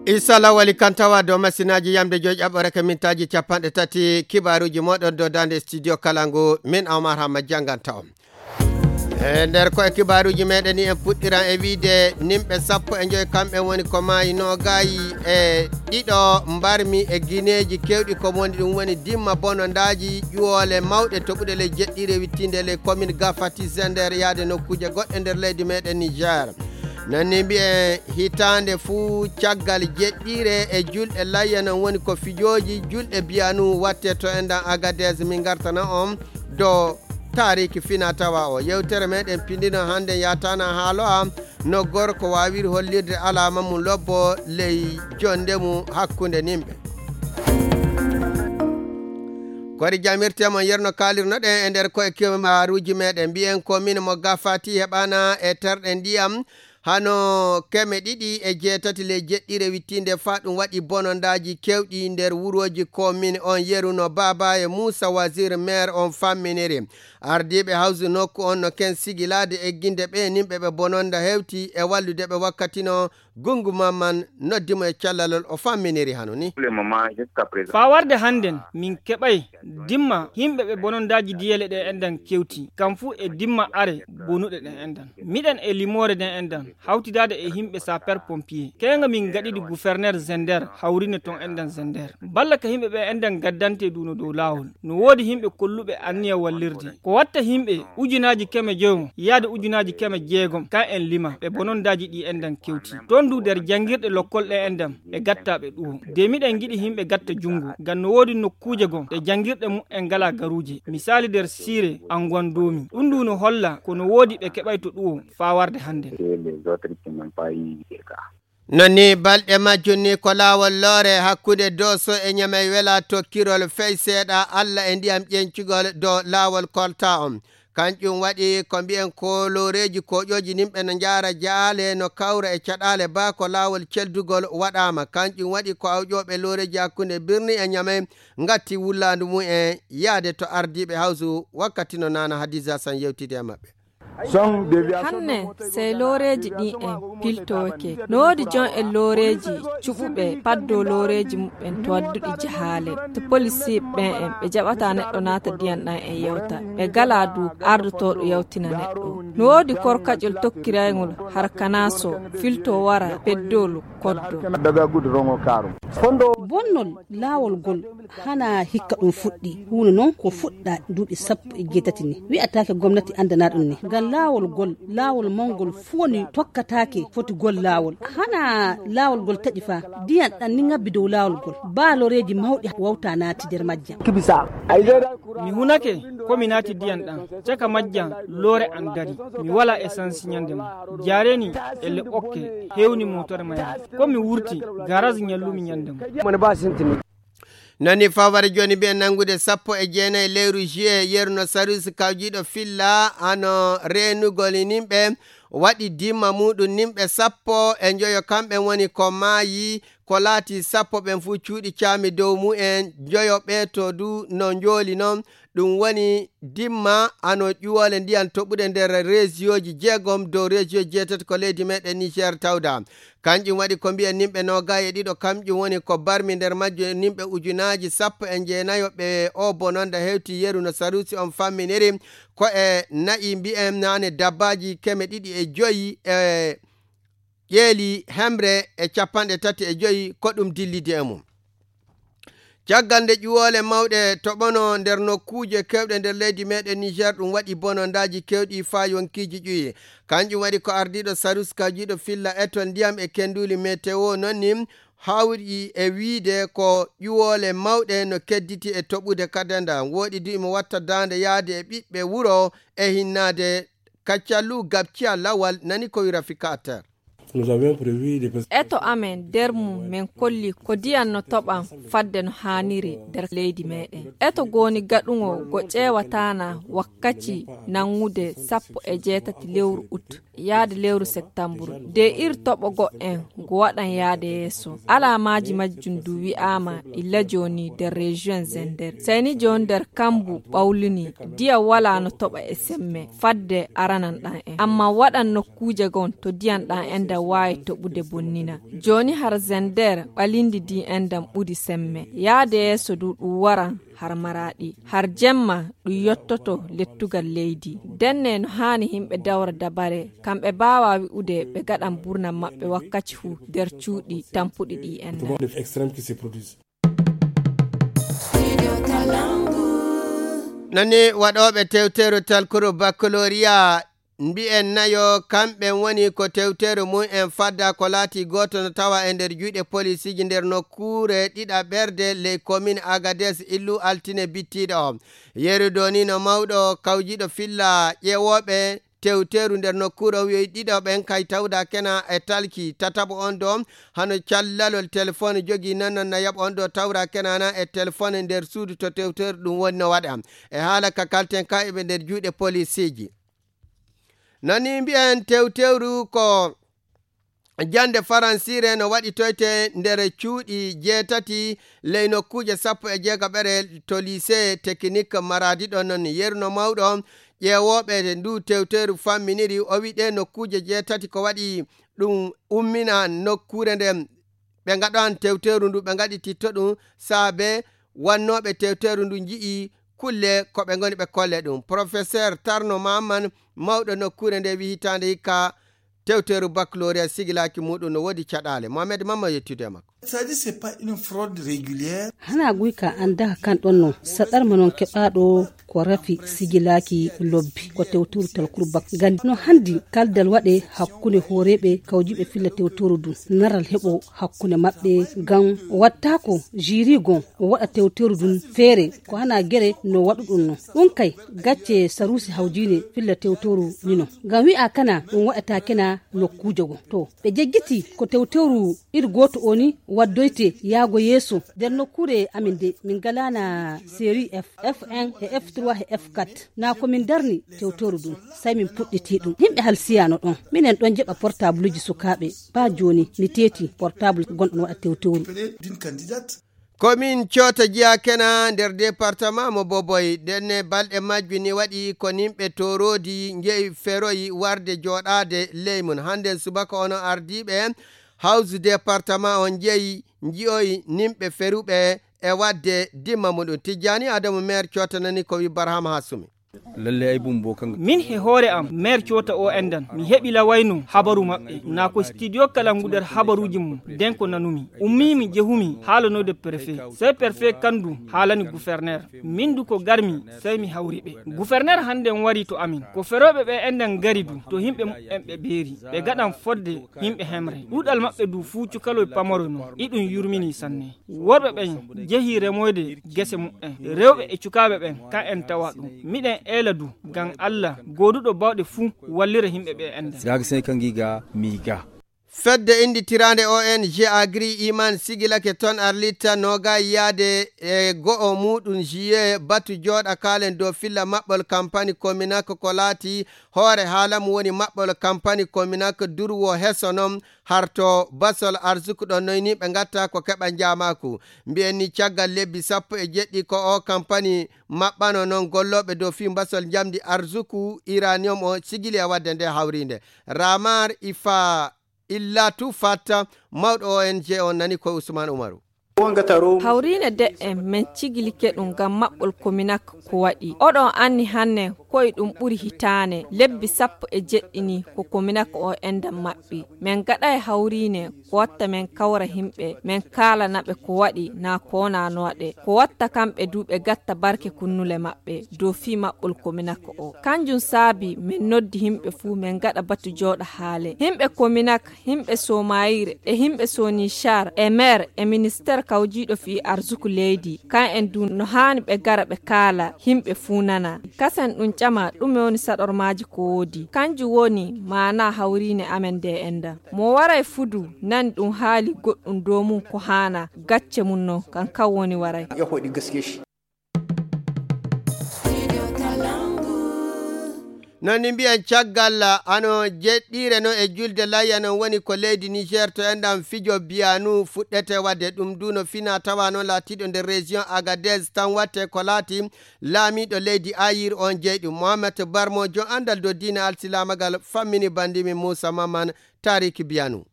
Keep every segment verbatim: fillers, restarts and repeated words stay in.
Issa Lawali kan tawa dow masinaaji yamde joy ƴaɓɓore ka mintaaji capanɗe tati, kibaaruuji mooɗon dow daande studio kala ngu, min Omar Hamma jannganta on. E nder koye kibaaruuji meɗen ni, en puɗɗiran e wiide nimɓe sappo e joy kamɓe woni ko maayi, noogaayi e ɗiɗo mbarmi e gineeji kewɗi ko woni ɗum woni dimma bonondaaji ƴuwoole mawɗe toɓuɗe ley jeɗɗiire wittinde ley commune Gafati Zender yaade nokkuuje goɗɗe nder leydi meɗen Niger. Nanni mbi'en hitaande fuu caggal jeɗɗiire e julɗe layya non woni ko fijooji julɗe biyanu watte to enɗan Agadez. Min ngartana on dow taariki fina tawa o. Yewtere meɗen pindino hannde yatana haalo am no gorko waawiri hollirde alaama mum lobbo ley jonde mum hakkunde nimɓe. Kori jamirte mon yerno kaalirnoɗen e nder koye kibaaruuji meɗen. Mbi'en ko min mo Gafati heɓana e terɗe ndiyam hano keme ɗiɗi e jeetati ley jeɗɗire wittinde fa ɗum waɗi bonondaaji kewɗi nder wurooji ko min on yeru no Baaba e Muusa Wazir maire on famminiri. Ardiiɓe hawsu nokku on no ken sigilaade egginde ɓe nimɓe ɓe bononda hewti e wallude ɓe wakkati no Gungu Mamman noddi mo e callalol o famminiri hano ni. Faa warde hannden, min keɓay dimma himɓe ɓe bonondaaji diyele ɗe enɗan kewti, kam fu e dimma are bonuɗe ɗen enɗan. Miɗen e limoore ɗen enɗan, hawtidaade e himɓe sapeur pompier. Keeŋa min gaɗidi guferner Zender, hawrine ton enɗan Zender. Balla ka himɓe ɓe enɗan gaddante duuno dow laawol. No woodi himɓe kolluɓe anniya wallirde. Ko watta himɓe ujunaaji keme joyo yaade ujunaaji keme jeegom, ka en lima, ɓe bonondaaji ɗi enɗan kewti. Ton du nder janngirɗe lokkol ɗe enɗan, ɓe gatta ɓe ɗuwo. De miɗen ngiɗi himɓe gatta junngo, ngam no woodi nokkuuje gom ɗe janngirɗe mu'en ngalaa garuuje. Misaali nder siire Anguwan Doomi. Ɗum du no holla ko no woodi ɓe keɓay to ɗuwo faa warde hannden. Non ni balɗe majjum ni ko laawol loore hakkunde Dooso e Ñamey wela tokkirol fey seeɗa Alla e ndiyam ƴencugol dow laawol kolta on. Kanƴum waɗi ko mbi'en ko looreeji koƴooji nimɓe no njaara jaale no kawra e caɗaale ba ko laawol celdugol waɗaama. Kanƴum waɗi ko awƴooɓe looreeji hakkunde birni e Ñamey ngatti wullaandu mum en yaade to ardiiɓe hawsu wakkati no Nana Hadiza San yewtidi e maɓɓe. Hanne, sey looreeji ɗin en piltooke. No woodi jon en looreeji cuɓuɓe paddoo looreeji muɓɓen to wadduɗi jahaale. To polisiiɓe ɓen en, ɓe jaɓataa neɗɗo naata ndiyan ɗan en yewta. Ɓe galaa du ardotooɗo yewtina neɗɗo. No woodi korkaƴol tokkirayngol harkanaaso filtoo wara peddol koddo. Bonnol laawol ngol hana hikka ɗum fuɗɗi. Huunde non ko fuɗɗa duuɓi sappo e jeetati ni. Wi'ataake gomnati anndana ɗum ni. Ngam laawol ngol, laawol mawngol fuu woni tokkataake foti gol laawol. Hana laawol ngol taƴi fa, ndiyan ɗan ni ngabbi dow laawol ngol. Baa looreeji mawɗi wawta naati nder majjan. Mi hunake ko mi naati ndiyan ɗan. Caka majjan loore an dari. Mi walaa essence ɲande mo. Jaareni e le okke hewni motore mayre. Ko mi wurti, garas ɲallumi ɲande mo. Nani faware jooni mbiyen nanngude sappo e jeenayi lewru juillet, yeru no Sarus kawjiiɗo filla hano reenugol nimɓe, waɗi dimma muɗum nimɓe sappo e njoyo, kamɓe woni ko maayi, ko laati sappo ɓen fuu cuuɗi caami dow mumen, njoyo ɓee to du no njooli non. Ɗum woni dimma hano ƴuwoole ndiyan toɓuɗe nder reesiyooji jeegom dow reesiyo jeetati ko leydi meɗen Niger tawda. Kanƴum waɗi ko mbiyen nimɓe noogay e ɗiɗo, kamƴum woni ko barmi nder majjo nimɓe ujunaaji sappo e jeenayo ɓe o bononda hewti yeru no Sarusi on famminiri ko e na'i mbiyen naane dabbaaji keme ɗiɗi e joyi e ƴeeli hemre e capanɗe tati e joyi ko ɗum dillidi e mum. Caggal nde ƴuwoole mawɗe toɓono nder nokkuuje kewɗe nder leydi meɗen Niger, ɗum waɗi bonondaaji kewɗi faa yonkiiji ƴuwi. Kanƴum waɗi ko ardiiɗo Sarus kawjiiɗo filla etol ndiyam e kenduli meteo non ni hawri e wiide ko ƴuwoole mawɗe no kedditi e toɓude kadenda. Wooɗi du imo watta daande yaade e ɓiɓɓe wuro e hinnaade. Kaccallu gabciya lawal nani ko wira fikater. Eto amen nder mum men kolli ko ndiyan no toɓan fadde no haaniri nder leydi meɗen. Eto goni gaɗuŋo go ƴeewataana wakkaci nanngude sappo e jeetati lewru ut yaade lewru septamburu. De ir toɓo go'en ko waɗan yaade yeeso. Alaamaaji majjum du wi'aama illa jooni nder rejiyon Zender. Seyni jooni nder kambu ɓawlini, diya walaa no toɓa e semme, fadde aranan ɗan en. Amma waɗan nokkuuje gon to diyan ɗan en ndan waawi toɓude bonnina. Jooni har Zender ɓalindi di en ndan ɓuri semme. Yaade yeeso du ɗum waran har Maraaɗi. Har jemma ɗum yottoto lettugal leydi. Denne no haani yimɓe dawra dabare, kamɓe baawaa wi'ude ɓe gaɗan burnan maɓɓe wakkaci fuu nder cuuɗi tampuɗi ɗi en. Nani waɗooɓe tewteeru talkuru baccalauréat mbi'en nayo, kamɓe woni ko tewteeru mum en fadda ko laati gooto no tawa e nder juuɗe polisiiji nder nokkuure ɗiɗaɓerde ley komin Agades illu altine bittiiɗo o. Yeru donino mawɗo kawjiɗo filla ƴeewooɓe tewteeru nder nokkuure o wi'oyi ɗiɗo ɓen kay tawda kena e talki tataɓo on ɗo hano callalol telefon jogi nanan na yaɓa on ɗo tawra kenana e telefon nder suudu to tewteeru ɗum woni no waɗa. E haala ka kalten ka eɓe nder juuɗe polisiiji. Nani mbi'en tewtewru ko jannde faransiire no waɗitoyte nder cuuɗi jeetati ley nokkuuje sappo e jeegaɓere to lycée technique Maradi ɗon non. Yerno mawɗo ƴeewooɓe ndu tewteeru famminiri o wi ɗe nokkuuje jeetati ko waɗi ɗum ummina nokkuure nden ɓe ngaɗan tewteeru ndu ɓe ngaɗititto ɗum saabe wannooɓe tewteeru ndu nji'i kulle ko ɓe ngoni ɓe kolle ɗum. Professeur Tarno Maman mawɗo nokkuure nde wi hitaande hikka tewteeru baccalauréat sigilaaki muɗum no woodi caɗaale. Mohamed Mamma yettude e makko. C'est-à-dire, c'est pas une fraude régulière. Hana guyka an daha kan ɗon non saɗarma non keɓaɗo ko rafi sigilaaki lobbi ko tewtoru talkuru bak gandi no handi kaldal waɗe hakkunde hooreɓe kawjiɓe filla tewtoru dun naral heɓo hakkunde maɓɓe ngam wattako jiri gon o waɗa tewtoru dun feere ko hana gere no waɗuɗun non. Ɗun kay gacce sarusi hawjine filla tewtoru nino ngam wi'a kana ɗun waɗata kena nokkuuje go to ɓe jejjiti ko tewtoru iri gooto o ni waddoyte yaago yeeso nder nokkuure amin de min ngalaana série f f un e f trois e f quatre na ko min darni tewtoru ɗum sai min puɗɗiti ɗum yimɓe halsiyano ɗon minen ɗon jeɓa portableji sukaaɓe ba joni mi teeti portable gonɗon waɗa tewtoru. D'une candidate. Komin coota jiya kena nder département mo boboy denne balɗe majju ni waɗi ko nimɓe torodi njeyi feroyi warde joɗade ley mum hande subaka ono ardiɓe hawsu département on njeyi nji'oyi nimɓe feruɓe e wadde dimma muɗum. Tijjani adamu maire coota nani ko wi barhama hasumi. Lalle ay bumbo kan. Min he hoore am maire coota o endan mi heɓi lawayno habaru maɓɓe na ko studio kalangu nder habaruji mum den ko nanumi ummimi jehumi haalanoyde préfet sey préfet kandu haalani gouverneur min du ko garmi sey mi hawri ɓe gouverneur hande on wari to amin ko feroɓe ɓe endan gari du to himɓe muɓɓen ɓe beeri ɓe gaɗan fodde himɓe hemre ɗuɗal maɓɓe du fuu cukaloy pamaro non iɗum yurmini sanne. Worɓe ɓen jehi remoyde gese muɓɓen. Rewɓe e cukaaɓe ɓen, kan en tawa ɗum. Miɗen eela du, ngam Alla gooduɗo baawɗe fuu wallira yimɓe ɓe enɗen. Gaga sey ka ngiga miiga. Fedde innditiraande O N G Agri Iman sigilake ton Arlita noogaay yaade e go'o muuɗum juillet batu jooɗa kaalen dow filla maɓɓol kampani Kominak ko laati hoore haala mum woni maɓɓol kampani Kominak durwo heso non harto basol arsuku ɗon noyni ɓe ngatta ko keɓa njaamaaku. Mbiyen ni caggal lebbi sappo e jeɗɗi ko o kampani maɓɓano non gollooɓe dow fii basol njamndi arsuku iranium o sigili e waɗde nde hawriinde. Ramar Ifa Illatu Fatta, mawɗo O N G on nani ko Usman Umaru. Hawriine de'en men cigilike ɗum ngam maɓɓol Kominak ko waɗi. Oɗon anni hanne koye ɗum ɓuri hitaane, lebbi sappo e jeɗɗi ni ko Kominak o enɗan maɓɓi. Men gaɗay hawriine ko watta men kawra himɓe, men kaalana ɓe ko waɗi naa ko wonaa no waɗe. Ko watta kamɓe du ɓe gatta barke kunnule maɓɓe dow fii maɓɓol Kominak o. Kanjum saabi men noddi himɓe fuu men gaɗa batu jooɗa haale. Himɓe Kominak Himɓe Somayire e himɓe Sonichar e maire e ministeer kawjiiɗo fii arsuku leydi, kan en du no haani ɓe gara ɓe kaala, himɓe fuu nana. Kasen ɗum ƴama ɗume woni saɗormaaji ko woodi. Kanjum woni maanaa hawriine amen nde enɗan. Mo waray fuu du nani ɗum haali goɗɗum dow mum ko haanaa, gacce mum non, kan kan woni waray. Non ni mbiyen caggal, ano jeɗɗiire non e julde layya non woni ko leydi Niger to enɗam fijo biyanu fuɗɗete wadde ɗum du no fina tawa non laatiɗo nder région Agadez tan watte ko laati laamiɗo leydi Ayir on jeyɗi Mohamed Barmo jon andal do diine alsilamagal fammini bandimi Moussa Maman Tarik Biyanu.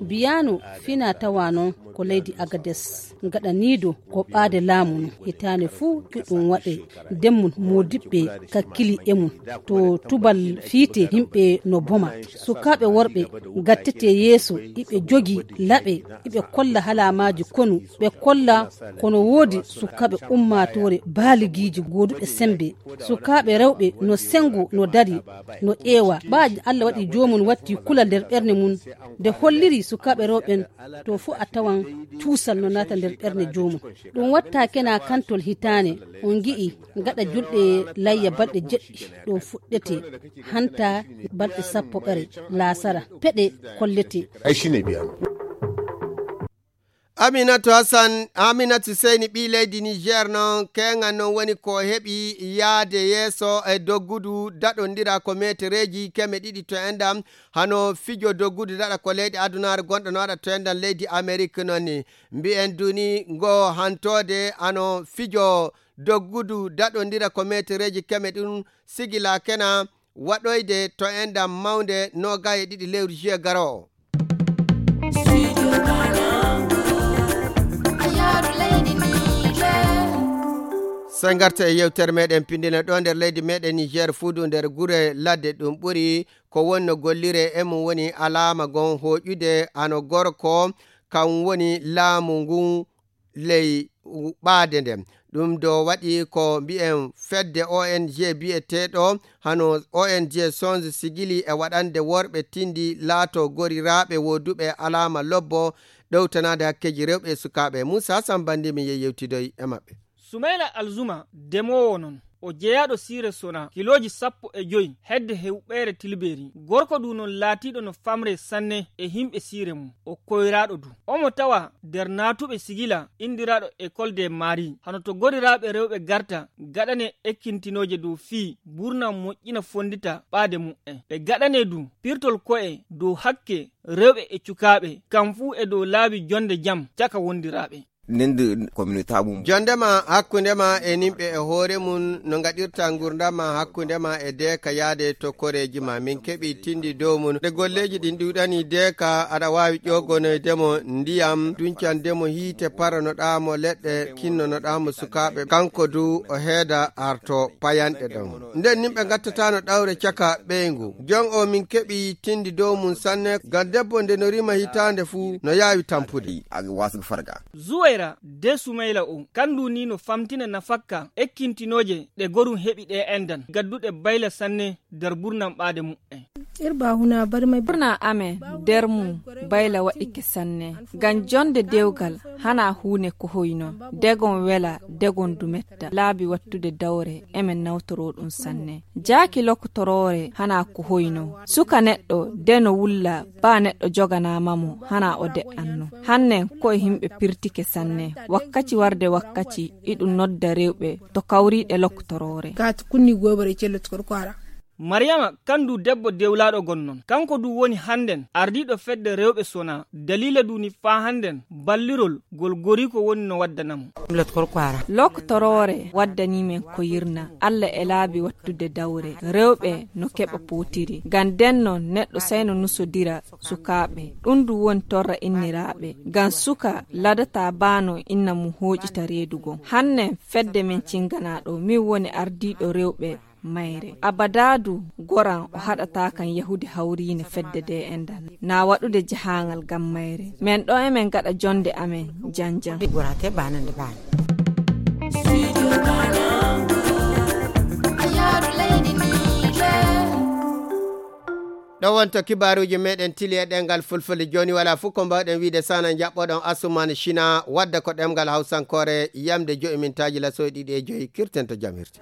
Biyano fina tawa non ko leydi Agades gaɗaniido ko ɓaade laamu no hitaande fuu ɗuɗɗum waɗe demmun moodiɓɓe kakkili e mum to tubal fiite yimɓe no boma sukaaɓe worɓe gattete yeeso iɓe jogi laɓe iɓe kolla halaamaaji konu ɓe kolla kono woodi sukaaɓe ummaatoore baaligiiji gooduɓe sembe sukaaɓe rewɓe no sengo no dari no ƴeewa ɓaaji Allah waɗi joomum watti kulal nder ɓernde mum nde holliri sukaaɓe rewɓen to fuu a tawan cuusal no naata nder ɓernde joomum ɗum watta kena kantol hitaane on ngi'i gaɗa julɗe layya balɗe jeɗɗi ɗum fuɗɗete hanta balɗe sappo ɓere laasara peɗe kollete. Ay shine biya. Aminatu Hassan, Aminatu Seyni ɓii leydi Niger non keŋan non woni ko heɓi yaade yeeso e doggudu daɗondira ko metereeji keme ɗiɗi to enɗam hano fijo doggudu daɗa ko leyɗe adunaare gonɗo no waɗa to enɗam leydi Amerik non ni mbiyen duni ngo hantoode hano fijo doggudu daɗondira ko metereeji keme ɗum sigila kena waɗoyde to enɗam mawnde nogaye ɗiɗi lewru juillet garoowo. Sen garta e yewtere meɗen pindina ɗo nder leydi meɗen Niger fuudu nder gure ladde ɗum ɓuri ko wonno gollire e mum woni alaama gon hoƴude hano gorko kan woni laamu ngun ley ɓaade nden. Ɗum do waɗi ko mbi'en fedde O N G bi'eteeɗo hano O N G Songe Sigili e waɗande worɓe tindi laato goriraaɓe woduɓe alaama lobbo ɗowtanaade hakkeeji rewɓe e sukaaɓe. Muusa Hasan Bandi min yehi yewtidoy e maɓɓe. Sumayla Alzuma, demoowo non, o jeyaaɗo siire Sona, kilooji sappo e joy hedde hewɓeere Tilbeeri. Gorko du non laatiiɗo no famre sanne e himɓe siire mum. O koyraaɗo du. Omo tawa nder naatuɓe sigila indiraaɗo École des Maris. Hano to goriraaɓe rewɓe garta gaɗane ekkintinooje dow fii burna moƴƴina fondita ɓaade mu'en. Ɓe gaɗane du pirtol ko'e dow hakke rewɓe e cukaaɓe, kam fuu e dow laabi jonde jam caka wondiraaɓe. Nende communauté mum. Jondema hakkunde ma e nimɓe e hoore mum no ngaɗirta ngurdam ma hakkunde ma e deeka yaade to koreeji ma. Min keɓi tindi dow mum. Nde golleeji ɗin ɗuuɗani deeka aɗa waawi ƴogonoyde mo ndiyam, duncande mo hiite, paranoɗaa mo leɗɗe, kinnonoɗaa mo sukaaɓe. Kanko du o heeda arto payanɗe ɗon. Nden nimɓe ngattatano ɗawre caka ɓeyngu. Jon o min keɓi tindi dow mum sanne, ngam debbo nde no rima hitaande fuu no yaawi tampude. Aga wasu farga. Zuwaira de Sumayla o, kandu ni no famtina nafakka ekkintinooje ɗe gorum heɓi ɗe endan, gadduɗe bayla sanne nder burnam ɓaade mu'en. Irba huna barmay. Ɓurna amen nder mum bayla waɗike sanne. Ngam jonde dewgal hana huune ko hoyno. Degon wela, degon du metta. Laabi wattude dawre, emen nawtoro ɗum sanne. Jaaki lokotoroore hana ko hoyno. Suka neɗɗo de no wulla, ba neɗɗo joganaama mo, hana o de'anno. Hannen ko e himɓe pirtike sanne. Wakkaci warde wakkaci, iɗum nodda rewɓe to kawriiɗe lokotoroore. Kat kunni gobare cello to korko ara. Mariyama, kandu debbo dewlaaɗo gonnon. Kanko du woni hannden ardiiɗo fedde rewɓe Sona. Daliila du ni faa hannden ballirol gol goriiko woni no waddana mo. Lot korko ara. Lokotoroore waddanii men ko yirna. Alla e laabi wattude dawre. Rewɓe no keɓa pootiri. Ngam denno neɗɗo sayno nusodira sukaaɓe. Ɗum du woni torra inniraaɓe. Ngam suka ladata baano inna mum hooƴita reedu gon. Hannen fedde men cinganaaɗo, min woni ardiiɗo rewɓe mayre. Abada du goran o haɗata kan yahude hawriine fedde de endan. Na waɗude jahaangal ngam mayre. Men ɗo emen gaɗa jonde amen janjan. Gorate banande bani. Ɗo wonto kibaaruuji meɗen tili e ɗemngal fulfulde. Jooni wala fof ko mbawɗen wiide sana jaɓɓoɗon Asuman China wadda ko ɗemngal hawsankoore yamde joyi mintaaji lasoy ɗiɗi e joyi kirten to jam hirti.